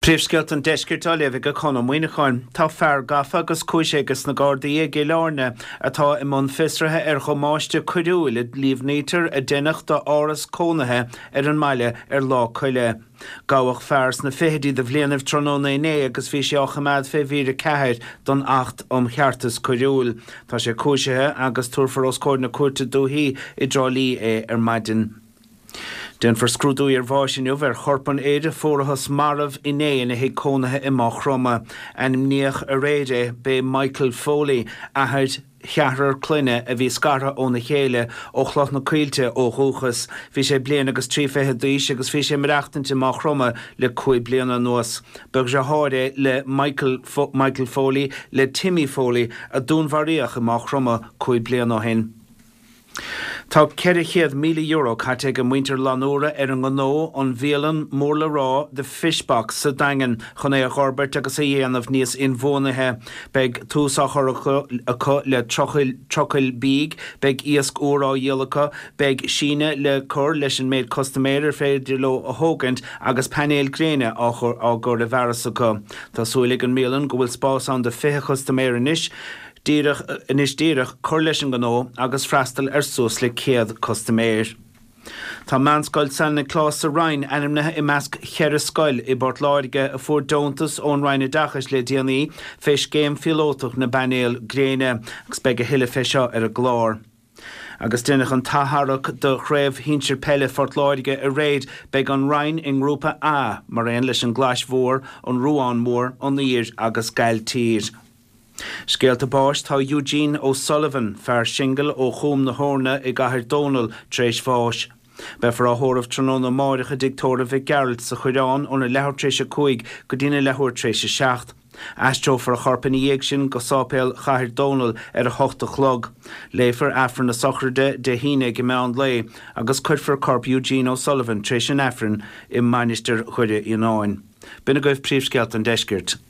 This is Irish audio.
Príomhscéalta an Deiscirt á léamh ag Conn Ó Muíneacháin. Tá fear gafa agus cúisithe ages na Gardaí i gCill Airne atá i mbun fiosraithe ar dhamáiste coiriúil a líomhnaítear a deineadh d'áras cónaithe ar an mbaile ar Lá Coille. Gabhadh fear sna fichidí de bhlianaibh tráthnóna inné agus bhí sé á choimeád fé mhír 4 don Acht um Cheartas Coiriúil. Tá sé cúisithe agus tabharfar os comhair na Cúirte Dúichí i dTrá Lí é ar maidin. Déanfar scrúdú iarbháis inniu ar chorp an fhir a fuarathas marbh inné ina thigh cónaithe i Maigh Chromtha. Ainmníodh aréir é, b'é Michael Foley, athair cheathrar clainne a bhí scartha óna chéile, ó Chloich na Coillte ó dhúchas. Bhí sé bliain agus 30 d'aois agus bhí sé ag maireachtaint i Maigh Chromtha le 5 bliana anuas. Ba dhriotháir é le Michael Michael Foley le Timmy Foley a dúnmharaíodh i Maigh Chromtha 5 bliana ó shin. Tá €400,000 caite ag muintir Fhlannúra ar an ngnó, an bhialann mór le rá The Fish Box sa Daingean chun é a dh'fhorbairt agus a dhéanamh níos inbhuanaithe. Beidh tús á chur acu le trucail bídh, beidh iasc úr á dhíol acu, beidh síneadh le cur leis an méid custaiméir ar féidir leo a thógaint agus painéil gréine á gcur i bhfearas acu. Tá súil ag an mbialann go bhfuil spás ann do 20 chustaiméir anois. Díreach anois díreach cur leis an ngnó agus freastal ar suas le 100 custaiméir. Tá Meánscoil San Nioclás sa Rinn ainmnithe i measc cheithre scoil i bPort Láirge a fuair deontas ón Roinn Oideachais le déanaí fé scéim phíolótach na bpainéal gréine agus beidh a thuilleadh fé seo ar an gclár. Agus deineadh an t-atharrac do Chraobh Shinsir Peile Phort Láirge aréir. Beidh an Rinn i nGrúpa A mar aon leis an gClais Mhór, an Ruán Mór, an Uidhir agus Gailltír. Scéalta báis Tá Eugene O'Sullivan, fear singil ó Chúm na hEorna i gCathair Dónall, tar éis bháis. Beifear á thórramh tráthnóna amáireach i dTigh Tórraimh Mhic Gearailt sa Choireán óna leathuair tar éis 5 go dtína leathuair tar éis 7. Aistreofar a chorp ina dhiaidh sin go Sáipéal Chathair Dónall ar a hocht a chlog. Léifear Aifreann na sochraide Dé hAoine ag meán lae agus cuirfear corp Eugene O'Sullivan tar éis an Aifrinn i Mainistir Dhoire Fhíonáin. B'in agaibh príomhscéalta an deiscirt.